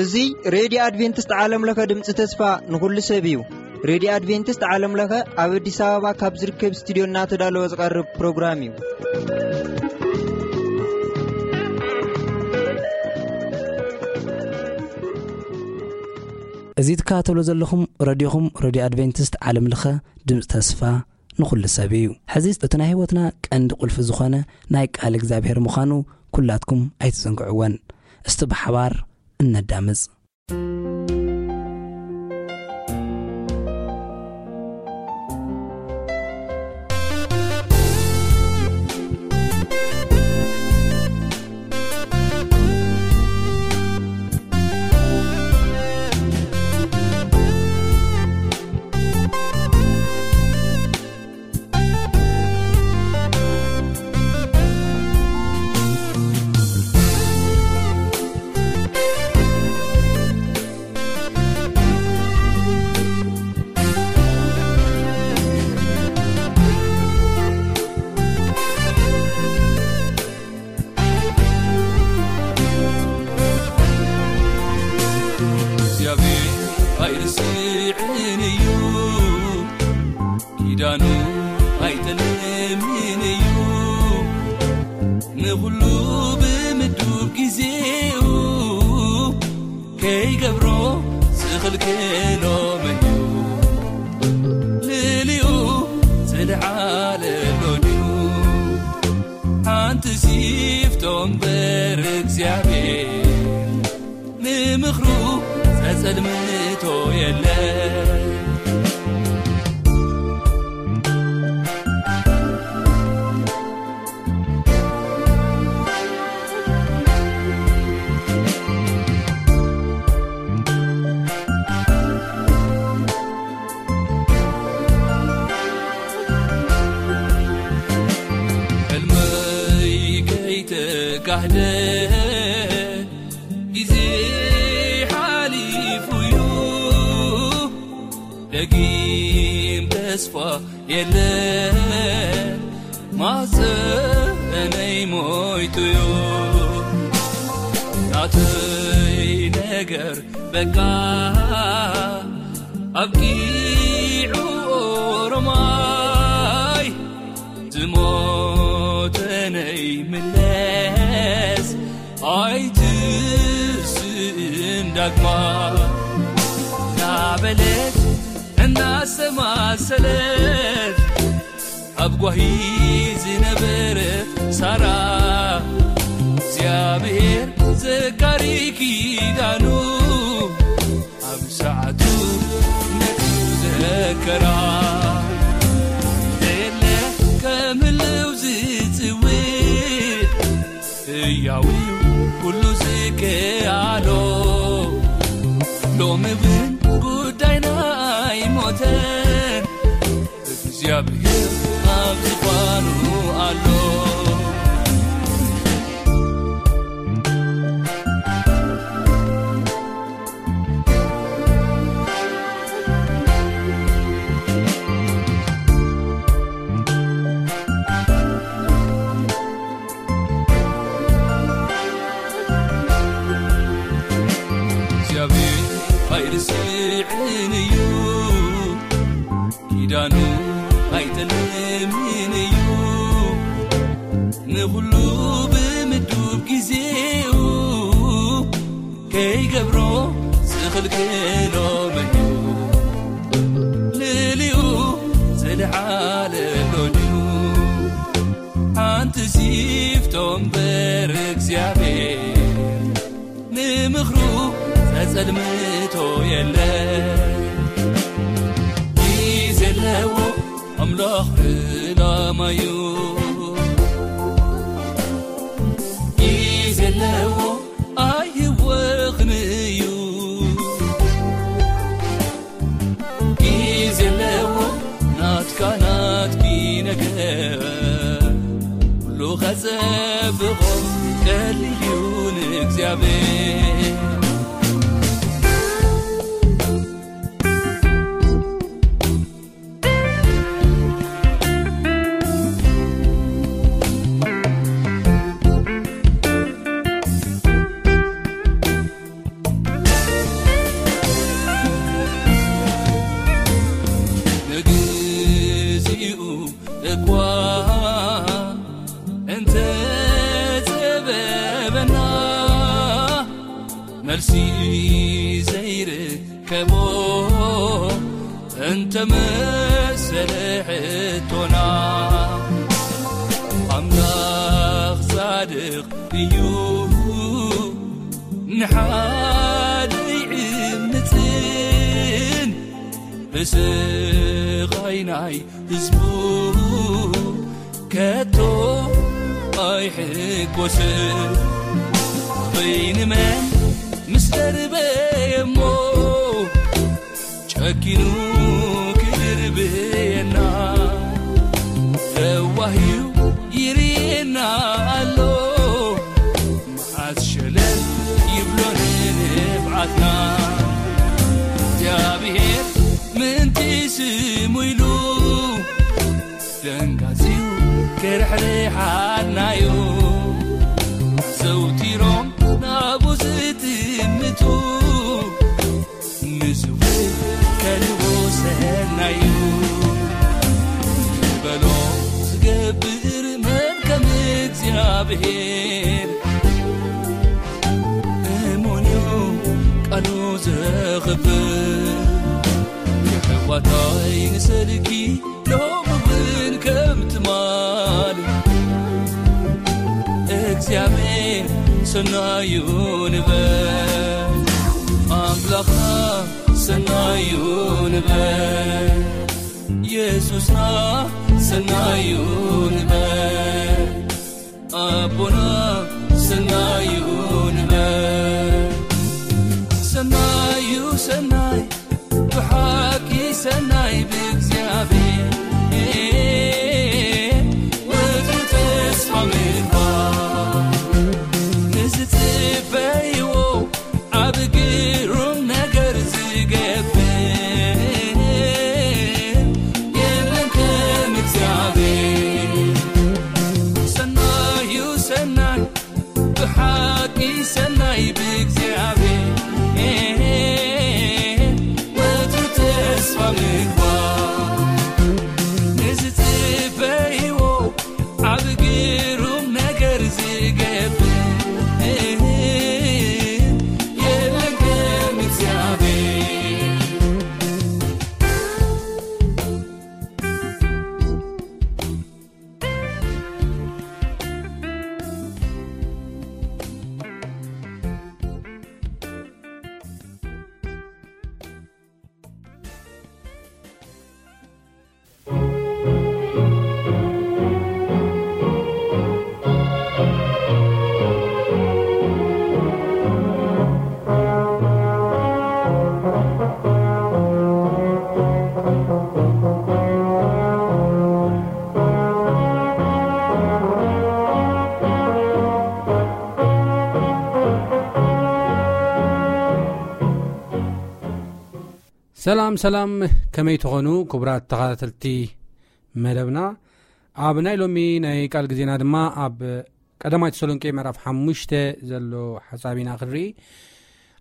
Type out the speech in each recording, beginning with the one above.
እዚ ሬድዮ ኣድቬንቲስት ዓለም ለኸ ድምፂ ተስፋ ንኹሉ ሰብ እዩ። ሬድዮ ኣድቬንቲስት ዓለም ለኸ ኣብ ኣዲስ ኣበባ ካብ ዝርከብ ስቱድዮ እናተዳለወ ዝቐርብ ፕሮግራም እዩ። እዚ ትከታተሉ ዘለኹም ረድዮኹም፣ ረድዮ ኣድቬንቲስት ዓለም ለኸ ድምፂ ተስፋ ንኹሉ ሰብ እዩ። ሕዚ እቲ ናይ ህይወትና ቀንዲ ቁልፊ ዝኾነ ናይ ቃል እግዚኣብሔር ምዃኑ ኩላትኩም ኣይትዘንግዕወን። እስቲ ብሓባር እነዳምፅ። እግዚኣብሔር ኣይርስዕን እዩ፣ ኪዳኑ ኣይጠልምን እዩ። ንኹሉ ብምዱብ ግዜኡ ከይገብሮ ዝኽልክሎ መን እዩ? ልዕሊኡ ዝለዓለ ዶ ድዩ? ሓንቲ ሲፍቶ እምበር እግዚኣብሔር ንምኽሩ ዘጸልምቶ የለን። ሕልመይ ከይተጋህደ ግዜ ሓሊፉ እዩ፣ ደጊም ተስፋ የለን፣ ማህፀነይ ሞይቱዮ። ናተይ ነገር በቃ ኣብቂዑ፣ ኦሮማይ ዝሞተነይ ምለስ ኣይትስእን ዳግማ። እናበለት እናሰማሰለት ኣብ ጓሂ ዝነበረ ሳራ እግዚኣብሔር ዘካሪ ኪዳኑ ኣብ ሰዓቱ ነቲ ዘከራ። የለ ከም ህልው ዝጽውዕ ህያው እዩ ኩሉ ዝከኣሎ። ሎሚ እውን ጉዳይና ኣይሞተን፣ እግዚኣብሔር ኣብ ዝፋኑ ኣሎ። እግዚኣብሔር ኣይርስዕን እዩ፣ ኪዳኑ ኣይጠልምን እዩ። ንኹሉ ብምዱብ ግዜኡ ከይገብሮ ዝኽልክሎ መን እዩ? ልዕሊኡ ዝለዓለ ዶ ድዩ? ሓንቲ ሲፍቶ እምበር እግዚኣብሔር ንምኽሩ ዘጸልምቶ የለ። ግዜ ኣለዎ ኣምላኽ ዕላማዩ፣ ግዜ ኣለዎ ኣይወኽን እዩ። ግዜ ኣለዎ ናትካ ናትኪ ነገር፣ ኩሉ ከጸብቖ ቀሊል እዩ ንእግዚኣብሔር። እኳ እንተ ጸበበና፣ መልሲ ዘይርከቦ እንተ መሰለ ሕቶና፣ ኣምላኽ ጻድቕ እዩ፣ ንሓደ ይዕምጽን ብስቓይ ናይ ህዝቡ ከቶ ኣይሕጎስን። በይንመን ምስ ደርበየ እሞ ጨኪኑ ክድርብየና፣ ለዋህዩ ይርየና ኣሎ። መዓት ሸለል ይብሎ ንንፍዓትና። እግዚኣብሔር ምእንቲ ስሙ ኢሉ ደንጋጺው ክርሕርሓናዩ። ዘውቲሮም ናቡ ዝጥምቱ ንስውእ ከልቦ ሰናዩ። ዝበሎ ዝገብር መን ከም እግዚኣብሔር፣ እሙን እዩ ቃሉ ዘኽብር። የሕዋታይ ንሰልኪ ሎሚ እውን ከም ትማል እግዚኣብሔር ሰናዩ ንበል። ኣምላኽና ሰናዩ ንበል። የሱስና ሰናዩ ንበል። ኣቦና ሰናዩ ንበል። ሰናዩ ሰናይ፣ ብሓቂ ሰናይ ብእግዚኣብሔር። ወትሩ ተስፋ ምግባር፣ ንዝጽበይዎ ኣብ ግሩም ነገር ዝገብር የለን ከም እግዚኣብሔር። ሰናዩ ሰናይ፣ ብሓቂ ሰናይ ብእግዚኣብሔር። ወትሩ ተስፋ ምግባር፣ ንዝጽበይዎ ኣብ ግሩም ነገር ዝገብር የለን ከም እግዚኣብሔር። ሰላም ሰላም፣ ከመይ ትኾኑ ክቡራት ተኸታተልቲ መደብና? ኣብ ናይ ሎሚ ናይ ቃል ግዜና ድማ ኣብ ቀዳማይ ተሰሎንቄ ምዕራፍ ሓሙሽተ ዘሎ ሓሳብ ኢና ክንርኢ።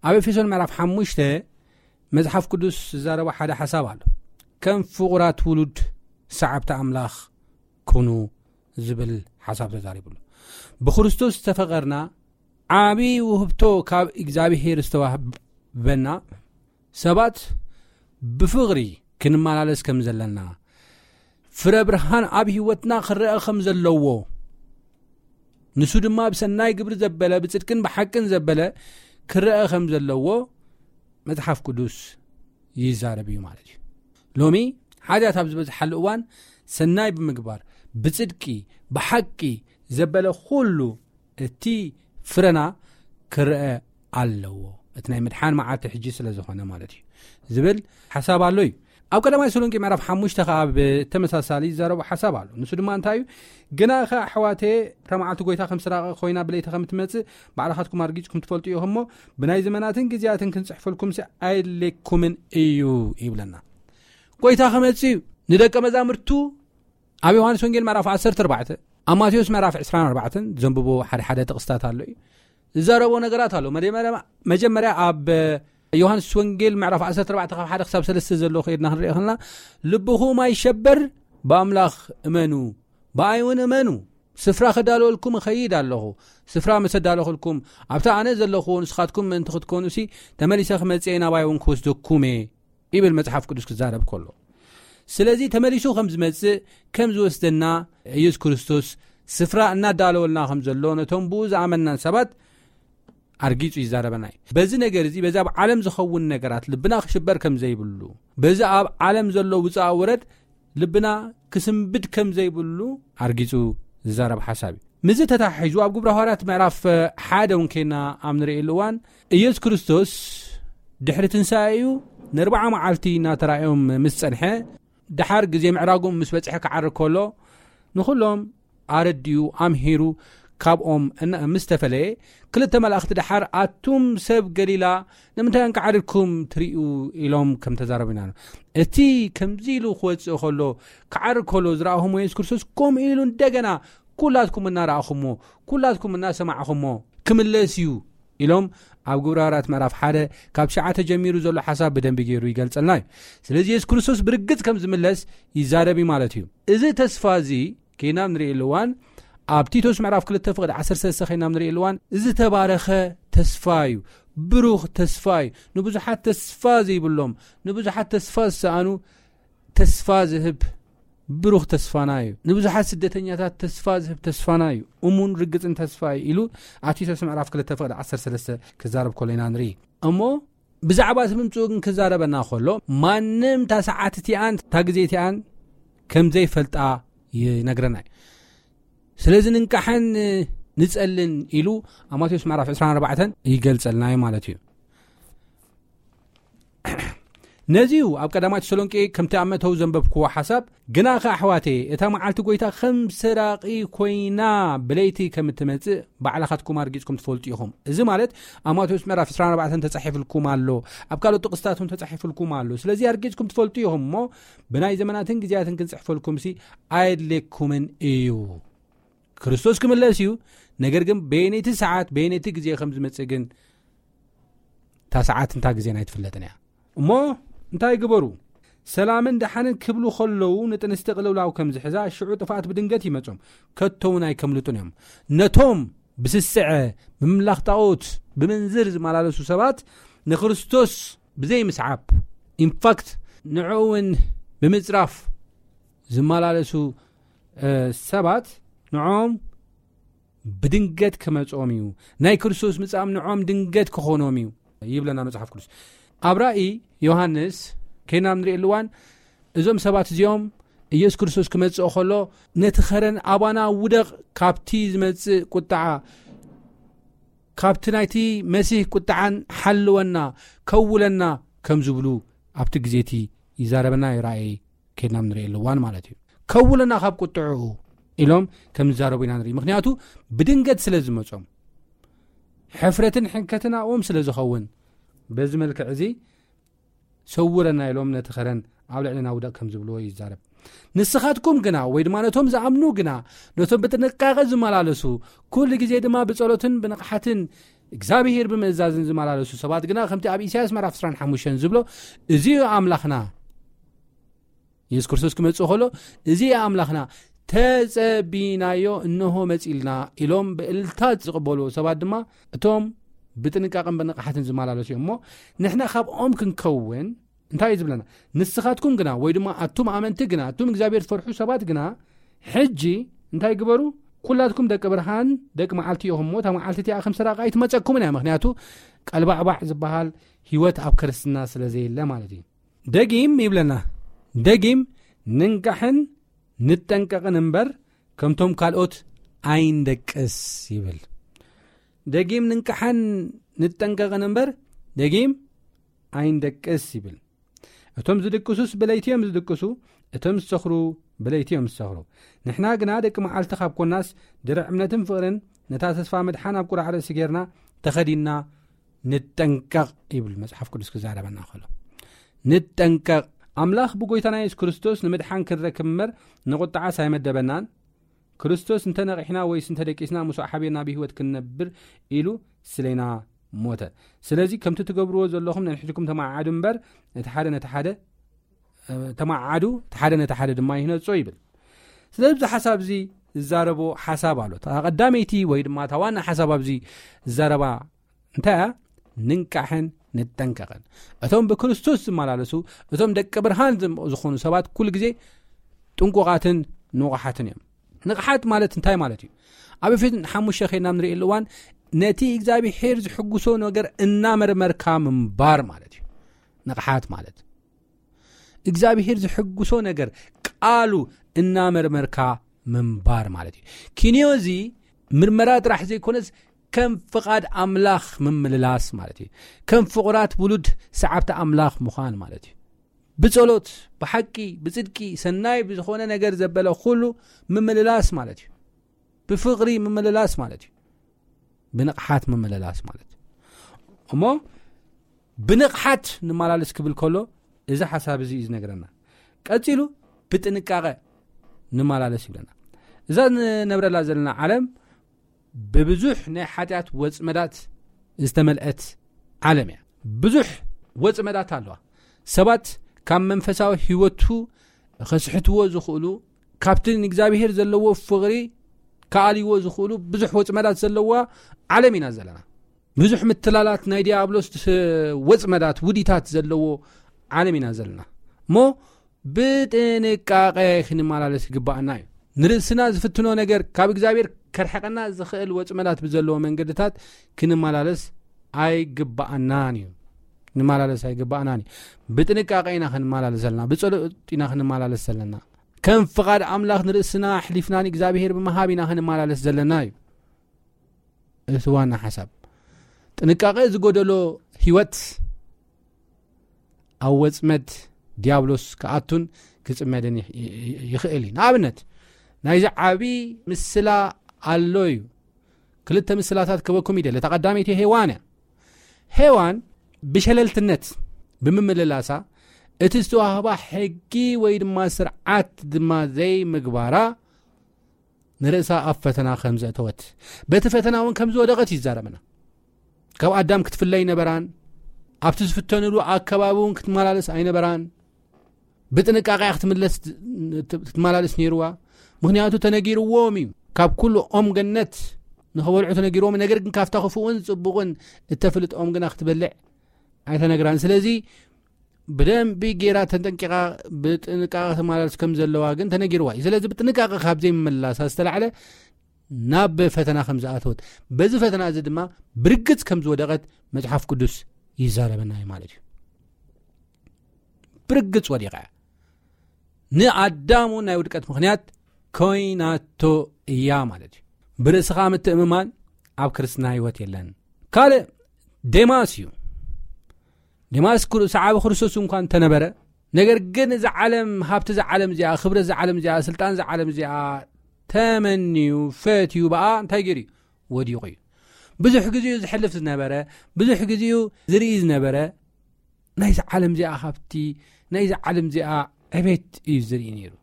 ኣብ ኤፌሶን ምዕራፍ ሓሙሽተ መጽሓፍ ቅዱስ ዝዛረቦ ሓደ ሓሳብ ኣሎ። ከም ፍቑራት ውሉድ ሰዓብቲ ኣምላኽ ኩኑ ዝብል ሓሳብ ተዛሪቡ ኣሎ። ብክርስቶስ ዝተፈቐርና ዓቢ ውህብቶ ካብ እግዚኣብሔር ዝተዋህበና ሰባት ብፍቕሪ ክንመላለስ ከም ዘለና፣ ፍረ ብርሃን ኣብ ህይወትና ክረአ ከም ዘለዎ፣ ንሱ ድማ ብሰናይ ግብሪ ዘበለ፣ ብጽድቅን ብሓቅን ዘበለ ክረአ ከም ዘለዎ መጽሓፍ ቅዱስ ይዛረብ እዩ ማለት እዩ። ሎሚ ሓጢኣት ኣብ ዝበዝሓሉ እዋን ሰናይ ብምግባር፣ ብጽድቂ፣ ብሓቂ ዘበለ ኩሉ እቲ ፍረና ክረአ ኣለዎ። እቲ ናይ ምድሓን መዓልቲ ሕጂ ስለ ዝኾነ ማለት እዩ ዝብል ሓሳብ ኣሎ እዩ። ኣብ ቀዳማይ ተሰሎንቄ ምዕራፍ ሓሙሽተ ኸዓ ብተመሳሳሊ ዝዛረቦ ሓሳብ ኣሎ። ንሱ ድማ እንታይ እዩ? ግና ኸ ኣሕዋቴ፣ እታ መዓልቲ ጐይታ ከም ስራቐ ኮይና ብለይቲ ከም ትመጽእ ባዕልኻትኩም ኣርጊጽኩም ትፈልጡ ኢኹም እሞ፣ ብናይ ዘመናትን ግዜያትን ክንጽሕፈልኩምሲ ኣየድልየኩምን እዩ ይብለና። ጐይታ ክመጽእ እዩ። ንደቀ መዛሙርቱ ኣብ ዮሃንስ ወንጌል ምዕራፍ ዓሰርተ ኣርባዕተ፣ ኣብ ማቴዎስ ምዕራፍ ዕስራን ኣርባዕተን ዘንብቦ ሓደ ሓደ ጥቕስታት ኣሎ እዩ። ዝዛረቦ ነገራት ኣሎ። መጀመርያ፣ መጀመርያ ኣብ ዮሃንስ ወንጌል ምዕራፍ ዓሰርተ ኣርባዕተ ካብ ሓደ ክሳብ ሰለስተ ዘሎ ከይድና ክንሪኦ ከለና፣ ልብኹም ኣይሸበር፣ ብኣምላኽ እመኑ፣ ብኣይ እውን እመኑ። ስፍራ ከዳልወልኩም እኸይድ ኣለኹ። ስፍራ ምስ ኣዳለኹልኩም፣ ኣብታ ኣነ ዘለኹዎ ንስኻትኩም ምእንቲ ክትኮኑሲ፣ ተመሊሰ ክመጽእ እየ፣ ናባይ እውን ክወስደኩም እየ ይብል መጽሓፍ ቅዱስ ክዛረብ ከሎ። ስለዚ ተመሊሱ ከም ዝመጽእ፣ ከም ዝወስደና፣ ኢየሱስ ክርስቶስ ስፍራ እናዳለወልና ከም ዘሎ ነቶም ብኡ ዝኣመናን ሰባት ኣርጊጹ ይዛረበና እዩ። በዚ ነገር እዚ፣ በዚ ኣብ ዓለም ዝኸውን ነገራት ልብና ክሽበር ከም ዘይብሉ፣ በዚ ኣብ ዓለም ዘሎ ውፃእ ውረድ ልብና ክስንብድ ከም ዘይብሉ ኣርጊጹ ዝዛረብ ሓሳብ እዩ። ምስዚ ተታሒዙ ኣብ ግብረ ሃዋርያት ምዕራፍ ሓደ እውን ኬና ኣብ ንርእየሉ እዋን፣ ኢየሱስ ክርስቶስ ድሕሪ ትንሳኤኡ ንኣርብዓ መዓልቲ እናተራእዮም ምስ ጸንሐ፣ ደሓር ግዜ ምዕራጉ ምስ በጽሐ ክዓርግ ከሎ፣ ንኹሎም ኣረዲኡ ኣምሂሩ ካብኦም እና-፣ ምስ ተፈለየ፣ ክልተ መላእኽቲ ደሓር፣ "ኣቱም ሰብ ገሊላ፣ ንምንታይ እንቃዓሪርኩም ትርእዩ?" ኢሎም ከም ተዛረቡ ኢና። እቲ ከምዚ ኢሉ ክወጽእ ከሎ፣ ክዓርግ ከሎ ዝረኣኹሞ የሱስ ክርስቶስ፣ ከምኡ ኢሉ እንደገና፣ "ኩላትኩም እናረኣኹሞ፣ ኩላትኩም እናሰማዕኹሞ ክምለስ እዩ" ኢሎም ኣብ ግብረ ሃዋርያት ምዕራፍ ሓደ ካብ ትሽዓተ ጀሚሩ ዘሎ ሓሳብ ብደንቢ ገይሩ ይገልጸልና እዩ። ስለዚ የሱስ ክርስቶስ ብርግጽ ከም ዝምለስ ይዛረብ እዩ ማለት እዩ። እዚ ተስፋ እዚ ኬና ንርእየሉ እዋን፣ ኣብ ቲቶስ ምዕራፍ ክልተ ፍቕዲ ዓሰርተ ሰለስተ ኬና ንርእየሉ እዋን፣ ዝተባረኸ ተስፋ እዩ። ብሩኽ ተስፋ እዩ። ንብዙሓት ተስፋ ዘይብሎም፣ ንብዙሓት ተስፋ ዝሰኣኑ ተስፋ ዝህብ ብሩኽ ተስፋና እዩ። ንብዙሓት ስደተኛታት ተስፋ ዝህብ ተስፋና እዩ። እሙን ርግጽን ተስፋ እዩ ኢሉ ኣብ ቲቶስ ምዕራፍ ክልተ ፍቕዲ ዓሰርተ ሰለስተ ክዛረብ ከሎ ኢና ንርኢ። እሞ ብዛዕባ እቲ ምምጽኡ ግን ክዛረበና ከሎ፣ ማንም እታ ሰዓት እቲኣን እታ ግዜ እቲኣን ከም ዘይፈልጣ ይነግረና እዩ። ስለዚ "ንንቃሕን ንጸልን" ኢሉ ኣብ ማቴዎስ ምዕራፍ ዕስራን ኣርባዕተን ይገልጸልና እዩ ማለት እዩ። ነዚ እዩ ኣብ ቀዳማይ ተሰሎንቄ ከምቲ ኣብ መእተዊ ዘንበብክዎ ሓሳብ፣ "ግናኸ ኣሕዋተየ፣ እታ መዓልቲ ጐይታ ከም ሰራቒ ኰይና ብለይቲ ከም እትመጽእ ባዕልኻትኩም ኣርጊጽኩም ትፈልጡ ኢኹም።" እዚ ማለት ኣብ ማቴዎስ ምዕራፍ ዕስራን ኣርባዕተን ተጻሒፍልኩም ኣሎ፣ ኣብ ካልኦት ጥቕስታት እውን ተጻሒፍልኩም ኣሎ። ስለዚ ኣርጊጽኩም ትፈልጡ ኢኹም እሞ፣ ብናይ ዘመናትን ግዜያትን ክንጽሕፈልኩምሲ ኣየድልየኩምን እዩ። ክርስቶስ ክምለስ እዩ። ነገር ግን በየነይቲ ሰዓት፣ በየነይቲ ግዜ ከም ዝመጽእ ግን እታ ሰዓት እንታ ግዜን ኣይትፍለጥን እያ። እሞ እንታይ ግበሩ? "ሰላምን ደሓንን" ክብሉ ከለዉ ንጥንስቲ ቅልውላው ከም ዝሕዛ፣ ሽዑ ጥፍኣት ብድንገት ይመጾም፣ ከቶ እውን ኣይከምልጡን እዮም። ነቶም ብስስዐ፣ ብምምላኽ ጣኦት፣ ብምንዝር ዝመላለሱ ሰባት ንክርስቶስ ብዘይ ምስዓብ፣ ኢንፋክት ንዕኡ እውን ብምጽራፍ ዝመላለሱ፣ እ፣ ሰባት ንዕኦም ብድንገት ክመጾም እዩ። ናይ ክርስቶስ ምጻም ንዕኦም ድንገት ክኾኖም እዩ ይብለና መጽሓፍ ቅዱስ። ኣብ ራእይ ዮሃንስ ኬና ንርእየሉ እዋን፣ እዞም ሰባት እዚኦም ኢየሱስ ክርስቶስ ክመጽእ ከሎ፣ "ነቲ ኸረን ኣባና ውደቕ፣ ካብቲ ዝመጽእ ቁጥዓ፣ ካብቲ ናይቲ መሲህ ቁጥዓን ሓልወና፣ ከውለና" ከም ዝብሉ ኣብቲ ግዜ እቲ ይዛረበና እዩ ራእይ ኬድና ንርእየሉ እዋን ማለት እዩ። "ከውለና ካብ ቁጥዕኡ" ኢሎም ከም ዝዛረቡ ኢና ንርኢ። ምኽንያቱ ብድንገት ስለ ዝመጾም፣ ሕፍረትን ሕንከትን ኣብኦም ስለ ዝኸውን፣ በዚ መልክዕ እዚ "ሰውረና" ኢሎም ነቲ ኸረን ኣብ ልዕልና ውደቕ ከም ዝብልዎ ይዛረብ። "ንስኻትኩም ግና፣ ወይ ድማ ነቶም ዝኣምኑ ግና፣ ነቶም ብጥንቃቐ ዝመላለሱ፣ ኩሉ ግዜ ድማ ብጸሎትን ብንቕሓትን እግዚኣብሄር ብምእዛዝን ዝመላለሱ ሰባት ግና፣ ከምቲ ኣብ ኢሳያስ ምዕራፍ ዕስራን ሓሙሽተን ዝብሎ፣ እዚ እዩ ኣምላኽና፣ ኢየሱስ ክርስቶስ ክመጽእ ከሎ፣ እዚ እዩ ኣምላኽና፣ ተጸቢናዮ፣ እንሆ መጺልና" ኢሎም ብእልልታ ዝቕበልዎ ሰባት ድማ፣ እቶም ብጥንቃቐን ብንቕሓትን ዝመላለሱ እዮም። እሞ ንሕና ካብኦም ክንከውን እንታይ እዩ ዝብለና? "ንስኻትኩም ግና፣ ወይ ድማ ኣቱም ኣመንቲ ግና፣ ኣቱም እግዚኣብሔር ትፈርሑ ሰባት ግና፣ ሕጂ እንታይ ግበሩ? ኩላትኩም ደቂ ብርሃን፣ ደቂ መዓልቲ ኢኹም እሞ፣ እታ መዓልቲ እቲኣ ከም ሰራቂ ኣይትመጸኩምን እያ። ምኽንያቱ ቀልባዕባዕ ዝበሃል ህይወት ኣብ ክርስትና ስለ ዘየለ" ማለት እዩ። ደጊም ይብለና፣ ደጊም "ንንቃሕን ንጠንቀቕን እምበር፣ ከምቶም ካልኦት ኣይንደቅስ" ይብል። ደጊም "ንንቃሕን ንጠንቀቕን እምበር፣ ደጊም ኣይንደቅስ" ይብል። "እቶም ዝድቅሱስ ብለይቲ እዮም ዝድቅሱ፣ እቶም ዝሰኽሩ ብለይቲ እዮም ዝሰኽሩ። ንሕና ግና ደቂ መዓልቲ ካብ ኮናስ፣ ድርዕ እምነትን ፍቕርን፣ ነታ ተስፋ ምድሓን ኣብ ቁራዕ ርእሲ ጌርና፣ ተኸዲንና ንጠንቀቕ" ይብል መጽሓፍ ቅዱስ ክዛረበና ከሎ። ንጠንቀቕ። ኣምላኽ ብጎይታና የሱስ ክርስቶስ ንምድሓን ክንረክብ እምበር፣ ንቁጥዓስ ኣይመደበናን። ክርስቶስ እንተ ነቒሕና ወይስ እንተ ደቂስና፣ ምስኡ ሓቢርና ብህይወት ክንነብር ኢሉ ስሌና ሞተ። ስለዚ ከምቲ ትገብርዎ ዘለኹም ነንሕድኩም ተመዓዓዱ እምበር፣ እቲ ሓደ ነቲ ሓደ ተማዓዱ፣ እቲ ሓደ ነቲ ሓደ ድማ ይህነጾ ይብል። ስለዚ እዚ ሓሳብ እዚ ዝዛረቦ ሓሳብ ኣሎ። እታ ቀዳመይቲ ወይ ድማ እታ ዋና ሓሳብ ኣብዚ ዝዛረባ እንታይ እያ? ንንቃሕን ንጠንቀቕን። እቶም ብክርስቶስ ዝመላለሱ፣ እቶም ደቂ ብርሃን ዝም-፣ ዝኾኑ ሰባት ኩሉ ግዜ ጥንቁቓትን ንቑሓትን እዮም። ንቕሓት ማለት እንታይ ማለት እዩ? ኣብ ኤፌሶን ሓሙሽተ ኸይድና ንርእየሉ እዋን ነቲ እግዚኣብሔር ዝሕጉሶ ነገር እናመርመርካ ምንባር ማለት እዩ። ንቕሓት ማለት እግዚኣብሔር ዝሕጉሶ ነገር ቃሉ እናመርመርካ ምንባር ማለት እዩ። ኪንዮ እዚ ምርመራ ጥራሕ ዘይኮነስ ከም ፍቓድ ኣምላኽ ምምልላስ ማለት እዩ። ከም ፍቑራት ውሉድ ሰዓብቲ ኣምላኽ ምዃን ማለት እዩ። ብጸሎት፣ ብሓቂ፣ ብጽድቂ፣ ሰናይ ብዝኾነ ነገር ዘበለ ኩሉ ምምልላስ ማለት እዩ። ብፍቕሪ ምምልላስ ማለት እዩ። ብንቕሓት ምምልላስ ማለት እዩ። እሞ ብንቕሓት ንመላለስ ክብል ከሎ እዚ ሓሳብ እዚ እዩ ዝነግረና። ቀጺሉ ብጥንቃቐ ንመላለስ ይብለና። እዛ ንነብረላ ዘለና ዓለም ብብዙሕ ናይ ሓጢኣት ወጽመዳት ዝተመልአት ዓለም እያ። ብዙሕ ወጽመዳት ኣለዋ። ሰባት ካብ መንፈሳዊ ህይወቱ ከስሕትዎ ዝኽእሉ፣ ካብቲ ንእግዚኣብሔር ዘለዎ ፍቕሪ ክኣልይዎ ዝኽእሉ ብዙሕ ወጽመዳት ዘለዋ ዓለም ኢና ዘለና። ብዙሕ ምትላላት ናይ ዲያብሎስ ወጽመዳት፣ ውዲታት ዘለዎ ዓለም ኢና ዘለና። እሞ ብጥንቃቐ ክንመላለስ ይግባኣና እዩ። ንርእስና ዝፍትኖ ነገር፣ ካብ እግዚኣብሔር ከርሕቐና ዝኽእል ወጽመዳት ብዘለዎ መንገድታት ክንመላለስ ኣይግባኣናን እዩ። ክንመላለስ ኣይግባኣናን እዩ። ብጥንቃቐ ኢና ክንመላለስ ዘለና፣ ብጸሎት ኢና ክንመላለስ ዘለና። ከም ፍቓድ ኣምላኽ ንርእስና ኣሕሊፍና ንእግዚኣብሔር ብምሃብ ኢና ክንመላለስ ዘለና እዩ። እቲ ዋና ሓሳብ። ጥንቃቐ ዝጎደሎ ህይወት ኣብ ወጽመድ ዲያብሎስ ክኣቱን ክጽመድን ይኽ-፣ ይ-፣ ይ-፣ ይኽእል እዩ። ንኣብነት፣ ናይዚ ዓቢ ምስላ ኣሎ እዩ። ክልተ ምስላታት ክበኩም ይደሊ። እታ ቀዳመይቲ ሄዋን እያ። ሄዋን ብሸለልትነት ብምምልላሳ፣ እቲ ዝተዋህባ ሕጊ ወይ ድማ ስርዓት ድማ ዘይምግባራ፣ ንርእሳ ኣብ ፈተና ከም ዘእተወት፣ በቲ ፈተና እውን ከም ዝወደቐት ይዛረበና። ካብ ኣዳም ክትፍለ ኣይነበራን፣ ኣብቲ ዝፍተንሉ ኣከባቢ እውን ክትመላለስ ኣይነበራን። ብጥንቃቐ ክትምለስ፣ ክትመላለስ ነይርዋ። ምኽንያቱ ተነጊርዎም እዩ። ካብ ኩሉ ኦም ገነት ንኸበልዑ ተነጊርዎም፣ ነገር ግን ካብታ ክፉእን ጽቡቕን እተፍልጥ ኦም ግና ክትበልዕ ኣይተነግራን። ስለዚ ብደንቢ ጌራ ተጠንቂቓ ብጥንቃቐ ክትመላለስ ከም ዘለዋ ግን ተነጊርዋ እዩ። ስለዚ ብጥንቃቐ ካብ ዘይምምላሳ ዝተላዕለ ናብ ፈተና ከም ዝኣተወት፣ በዚ ፈተና እዚ ድማ ብርግጽ ከም ዝወደቐት መጽሓፍ ቅዱስ ይዛረበና እዩ ማለት እዩ። ብርግጽ ወዲቓ እያ። ንኣዳም እውን ናይ ውድቀት ምኽንያት ኮይናቶ እያ ማለት እዩ። ብርእስኻ ምትእምማን ኣብ ክርስትና ህይወት የለን። ካልእ ዴማስ እዩ። ዴማስ ክሩ-፣ ሰዓቢ ክርስቶስ እንኳን እንተነበረ፣ ነገር ግን እዛ ዓለም፣ ሃብቲ እዛ ዓለም እዚኣ፣ ክብረት እዛ ዓለም እዚኣ፣ ስልጣን እዛ ዓለም እዚኣ ተመንዩ፣ ፈትዩ፣ ብኣ እንታይ ገይሩ እዩ? ወዲቑ እዩ። ብዙሕ ግዜኡ ዝሕልፍ ዝነበረ፣ ብዙሕ ግዜኡ ዝርኢ ዝነበረ፣ ናይዚ ዓለም እዚኣ ሃብቲ፣ ናይዚ ዓለም እዚኣ ዕቤት እዩ ዝርኢ ነይሩ።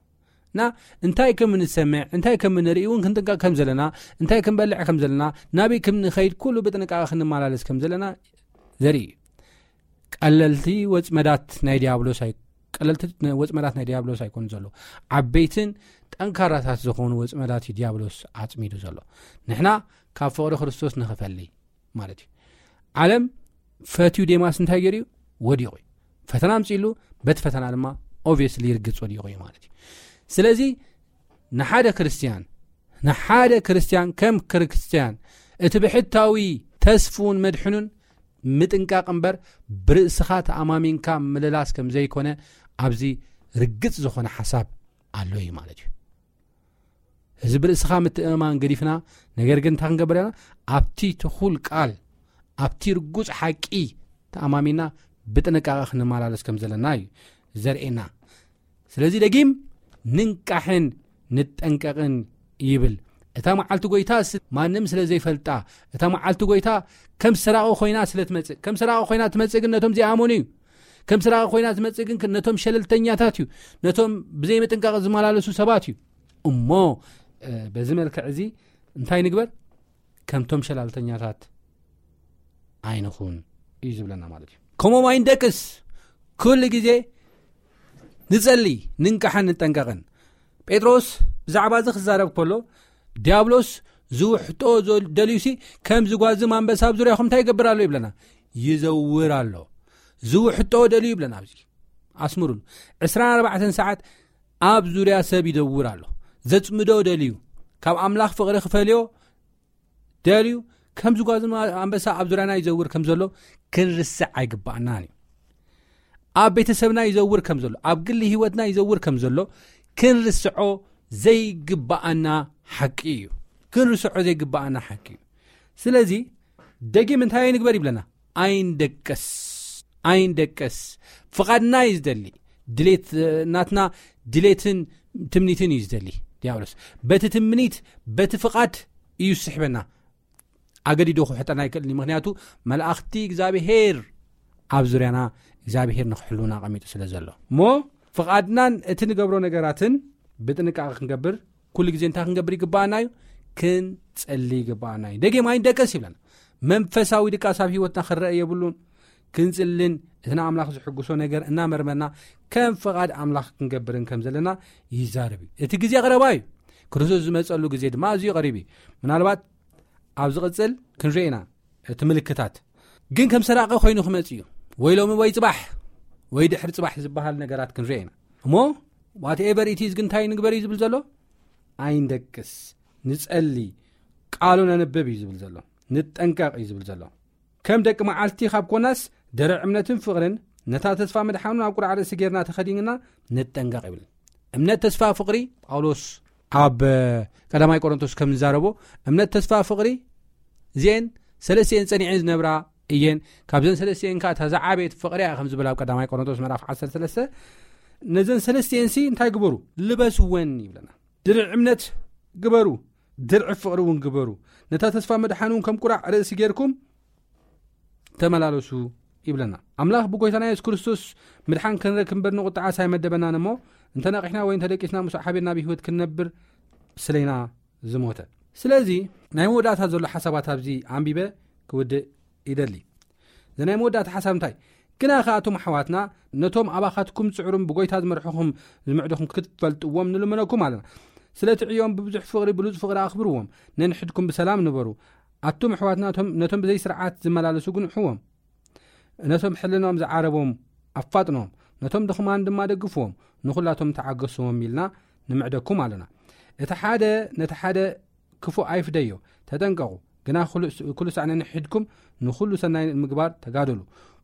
እና እንታይ ከም እንሰምዕ፣ እንታይ ከም እንርኢ እውን ክንጥንቀቕ ከም ዘለና፣ እንታይ ክንበልዕ ከም ዘለና፣ ናበይ ከም ንኸይድ ኩሉ ብጥንቃቐ ክንመላለስ ከም ዘለና ዘርኢ እዩ። ቀለልቲ ወጽመዳት ናይ ዲያብሎስ ኣይ-፣ ቀለልቲ ወጽመዳት ናይ ዲያብሎስ ኣይኮኑ ዘለዉ። ዓበይትን ጠንካራታት ዝኾኑ ወጽመዳት እዩ ዲያብሎስ ኣጽሚዱ ዘሎ። ንሕና ካብ ፍቕሪ ክርስቶስ ንኽፈሊ ማለት እዩ። ዓለም ፈትዩ ዴማስ እንታይ ገይሩ እዩ? ወዲቑ እዩ። ፈተና ኣምጺእሉ፣ በቲ ፈተና ድማ ኦብቪየስሊ ርግጽ ወዲቑ እዩ ማለት እዩ። ስለዚ ንሓደ ክርስትያን፣ ንሓደ ክርስትያን ከም ክርስትያን እቲ ብሕታዊ ተስፉን መድሕኑን ምጥንቃቕ እምበር ብርእስኻ ተኣማሚንካ ምልላስ ከም ዘይኮነ ኣብዚ ርግጽ ዝኾነ ሓሳብ ኣሎ እዩ ማለት እዩ። እዚ ብርእስኻ ምትእምማን ገዲፍና፣ ነገር ግን እንታይ ክንገብር ኣለና? ኣብቲ ትኹል ቃል፣ ኣብቲ ርጉጽ ሓቂ ተኣማሚና ብጥንቃቐ ክንመላለስ ከም ዘለና እዩ ዘርእየና። ስለዚ ደጊም ንንቃሕን ንጠንቀቕን ይብል። እታ መዓልቲ ጎይታ ስ-፣ ማንም ስለ ዘይፈልጣ፣ እታ መዓልቲ ጎይታ ከም ሰራቒ ኮይና ስለ ትመጽእ፣ ከም ሰራቒ ኮይና ትመጽእ ግን ነቶም ዘይኣመኑ እዩ። ከም ሰራቒ ኮይና ትመጽእ ግን ነቶም ሸለልተኛታት እዩ፣ ነቶም ብዘይምጥንቃቕ ዝመላለሱ ሰባት እዩ። እሞ፣ እ፣ በዚ መልክዕ እዚ እንታይ ንግበር? ከምቶም ሸላልተኛታት ኣይንኹን እዩ ዝብለና ማለት እዩ። ከምኦም ኣይንደቅስ። ኩሉ ግዜ ንጸሊ፣ ንንቃሕን ንጠንቀቕን። ጴጥሮስ ብዛዕባ እዚ ክዛረብ ከሎ፣ ዲያብሎስ ዝውሕጦ ዘል-፣ ደልዩሲ፣ ከም ዝጓዝም ኣንበሳ ኣብ ዙርያኹም እንታይ ይገብር ኣሎ ይብለና? ይዘውር ኣሎ። ዝውሕጦ ደልዩ ይብለና ኣብዚ። ኣስምሩሉ። ዕስራን ኣርባዕተን ሰዓት ኣብ ዙርያ ሰብ ይዘውር ኣሎ። ዘጽምዶ ደልዩ፣ ካብ ኣምላኽ ፍቕሪ ክፈልዮ ደልዩ፣ ከም ዝጓዝም ኣንበሳ ኣብ ዙርያና ይዘውር ከም ዘሎ ክንርስዕ ኣይግባኣናን እዩ። ኣብ ቤተሰብና ይዘውር ከም ዘሎ፣ ኣብ ግሊ ህይወትና ይዘውር ከም ዘሎ ክንርስዖ ዘይግባኣና ሓቂ እዩ። ክንርስዖ ዘይግባኣና ሓቂ እዩ። ስለዚ ደጊም እንታይ ኣይንግበር ይብለና? ኣይንደቀስ፣ ኣይንደቀስ። ፍቓድና እዩ ዝደሊ። ድሌት፣ እ፣ ናትና ድሌትን ትምኒትን እዩ ዝደሊ ዲያብሎስ። በቲ ትምኒት፣ በቲ ፍቓድ እዩ ዝስሕበና። ኣገዲዶ ክውሕጠና ኣይክእልን እዩ። ምኽንያቱ መላእኽቲ እግዚኣብሄር ኣብ ዙርያና፣ እግዚኣብሄር ንኽሕልውና ኣቐሚጡ ስለ ዘሎ። እሞ ፍቓድናን እቲ ንገብሮ ነገራትን ብጥንቃቐ ክንገብር፣ ኩሉ ግዜ እንታይ ክንገብር ይግባኣና እዩ? ክንጸሊ ይግባኣና እዩ። ደጊም ኣይንደቀስ ይብለና። መንፈሳዊ ድቃስ ኣብ ህይወትና ክረአ የብሉን። ክንጽልን እቲ ንኣምላኽ ዝሕጉሶ ነገር እናመርመርና ከም ፍቓድ ኣምላኽ ክንገብርን ከም ዘለና ይዛረብ እዩ። እቲ ግዜ ቀረባ እዩ። ክርስቶስ ዝመጸሉ ግዜ ድማ ኣዝዩ ቀሪቡ እዩ። ምናልባት ኣብ ዝቕጽል ክንርኢ ኢና እቲ ምልክታት። ግን ከም ሰራቂ ኮይኑ ክመጽእ እዩ። ወይ ሎሚ ወይ ጽባሕ፣ ወይ ድሕሪ ጽባሕ ዝበሃል ነገራት ክንርኢ ኢና። እሞ ዋትኤቨር ኢት ኢዝ ግን እንታይ ንግበር እዩ ዝብል ዘሎ? ኣይንደቅስ፣ ንጸሊ፣ ቃሉ ነንብብ እዩ ዝብል ዘሎ። ንጠንቀቕ እዩ ዝብል ዘሎ። ከም ደቂ መዓልቲ ካብ ኮናስ ድርዕ እምነትን ፍቕርን ነታ ተስፋ ምድሓኑን ኣብ ቁርዓ ርእሲ ጌርና ተኸዲንና ንጠንቀቕ ይብል። እምነት፣ ተስፋ፣ ፍቕሪ ጳውሎስ ኣብ ቀዳማይ ቆሮንቶስ ከም ዝዛረቦ፣ እምነት፣ ተስፋ፣ ፍቕሪ እዚአን ሰለስቲአን ጸኒዐን ዝነብራ እየን። ካብዘን ሰለስቲአን ከኣ እታ ዝዓበየት ፍቕሪ እያ ከም ዝብል ኣብ ቀዳማይ ቆሮንቶስ ምዕራፍ ዓሰርተ ሰለስተ። ነዘን ሰለስቲአንሲ እንታይ ግበሩ? ልበስወን ይብለና። ድርዕ እምነት ግበሩ፣ ድርዕ ፍቕሪ እውን ግበሩ። ነታ ተስፋ ምድሓን እውን ከም ቁራዕ ርእሲ ጌርኩም ተመላለሱ ይብለና። ኣምላኽ ብጎይታና የሱስ ክርስቶስ ምድሓን ክንረክብ እምበር ንቁጥዓስ ኣይመደበናን እሞ፣ እንተ ነቒሕና ወይ እንተ ደቂስና ምስኡ ሓቢርና ብህይወት ክንነብር ስለይና ዝሞተ። ስለዚ ናይ መወዳእታ ዘሎ ሓሳባት ኣብዚ ኣንቢበ ክውድእ ይደሊ። እዚ ናይ መወዳእታ ሓሳብ እንታይ? ግና ከኣቶም ኣሕዋትና ነቶም ኣባኻትኩም ጽዕሩም ብጎይታ ዝመርሕኹም ዝምዕድኹም ክትፈልጥዎም ንልምነኩም ኣለና። ስለቲ ዕዮም ብብዙሕ ፍቕሪ ብሉጽ ፍቕሪ ኣኽብርዎም። ነንሕድኩም ብሰላም ንበሩ። ኣቱም ኣሕዋትና ነቶም፣ ነቶም ብዘይ ስርዓት ዝመላለሱ ግንሕዎም። ነቶም ሕልናኦም ዝዓረቦም ኣፋጥኖም። ነቶም ድኽማን ድማ ደግፍዎም። ንኹላቶም ተዓገስዎም ኢልና ንምዕደኩም ኣለና። እቲ ሓደ ነቲ ሓደ ክፉእ ኣይፍደዮ። ተጠንቀቑ። ግና ኩሉ፣ ኩሉ ሳዕ ነንሕድኩም ንኹሉ ሰናይ ንምግባር ተጋደሉ።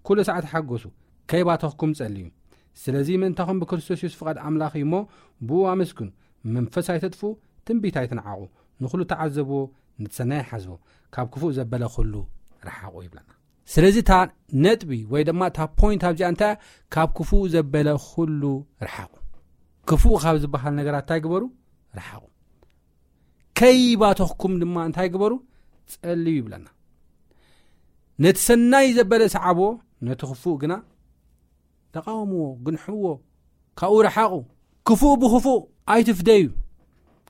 ኩሉ ሳዕ ተሓጎሱ። ከይባተኽኩም ጸልዩ። ስለዚ ምእንታኹም ብክርስቶስ የሱስ ፍቓድ ኣምላኽ እዩ እሞ ብኡ ኣመስግኑ። መንፈስ ኣይተጥፍኡ፣ ትንቢት ኣይትንዓቑ። ንኹሉ ተዓዘብዎ፣ ነቲ ሰናይ ሓዝዎ። ካብ ክፉእ ዘበለ ኩሉ ረሓቑ ይብለና። ስለዚ እታ ነጥቢ ወይ ድማ እታ ፖይንት ኣብዚኣ እንታይ እያ? ካብ ክፉእ ዘበለ ኩሉ ረሓቑ። ክፉእ ካብ ዝበሃል ነገራት እንታይ ግበሩ? ረሓቑ። ከይባተኽኩም ድማ እንታይ ግበሩ? ጸልዩ ይብለና። ነቲ ሰናይ ዘበለ ሰዓብዎ፣ ነቲ ክፉእ ግና ተቃወምዎ፣ ግንሕዎ፣ ካብኡ ረሓቑ። ክፉእ ብክፉእ ኣይትፍደዩ።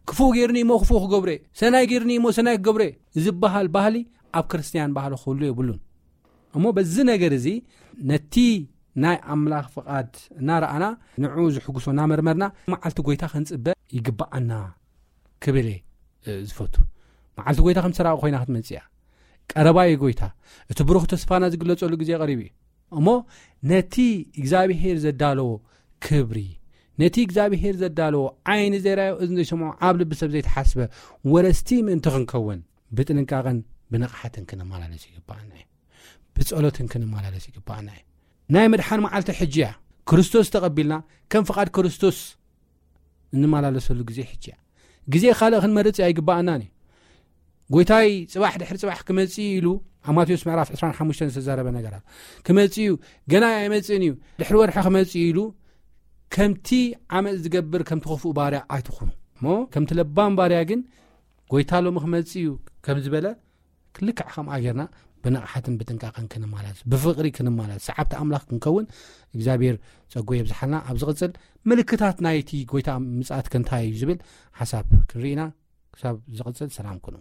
ክፉእ ጌርኒ እሞ ክፉእ ክገብሮ እየ፣ ሰናይ ጌርኒ እሞ ሰናይ ክገብሮ እየ ዝበሃል ባህሊ ኣብ ክርስትያን ባህሊ ክህሉ የብሉን። እሞ በዚ ነገር እዚ ነቲ ናይ ኣምላኽ ፍቓድ እናረኣና፣ ንዕኡ ዝሕጉሶ እናመርመርና፣ መዓልቲ ጎይታ ክንጽበ ይግብኣና ክብል እየ፣ እ፣ ዝፈቱ። መዓልቲ ጎይታ ከም ሰራቂ ኮይና ክትመጽእ እያ። ቀረባ እዩ ጎይታ። እቲ ብሩኽ ተስፋና ዝግለጸሉ ግዜ ቀሪቡ እዩ። እሞ ነቲ እግዚኣብሄር ዘዳለዎ ክብሪ፣ ነቲ እግዚኣብሄር ዘዳለዎ ዓይኒ ዘይረኣዮ እዝኒ ዘይሰምዖ ኣብ ልቢ ሰብ ዘይተሓስበ ወረስቲ ምእንቲ ክንከውን ብጥንቃቐን ብንቕሓትን ክንመላለስ ይግብኣና እዩ። ብጸሎትን ክንመላለስ ይግብኣና እዩ። ናይ ምድሓን መዓልቲ ሕጂ እያ። ክርስቶስ ተቐቢልና ከም ፍቓድ ክርስቶስ እንመላለሰሉ ግዜ ሕጂ እያ። ግዜ ካልእ ክንመርጽ ኣይግብኣናን እዩ። ጎይታይ ጽባሕ ድሕሪ ጽባሕ ክመጽእ እዩ ኢሉ ኣብ ማቴዎስ ምዕራፍ ዕስራን ሓሙሽተን ዝተዛረበ ነገራት ክመጽእ እዩ፣ ገና ኣይመጽእን እዩ፣ ድሕሪ ወርሒ ክመጽእ እዩ ኢሉ ከምቲ ዓመጽ ዝገብር ከምቲ ክፉእ ባርያ ኣይትኹኑ። እሞ ከምቲ ለባም ባርያ ግን ጎይታ ሎሚ ክመጽእ እዩ ከም ዝበለ ልክዕ ከምኣ ጌርና ብንቕሓትን ብጥንቃቐን ክንመላለስ፣ ብፍቕሪ ክንመላለስ፣ ሰዓብቲ ኣምላኽ ክንከውን እግዚኣብሔር ጸጉ የብዝሓልና። ኣብ ዝቕጽል ምልክታት ናይቲ ጎይታ ምጽኣት ከ እንታይ እዩ ዝብል ሓሳብ ክንርኢ ኢና። ክሳብ ዝቕጽል ሰላም ኩኑ።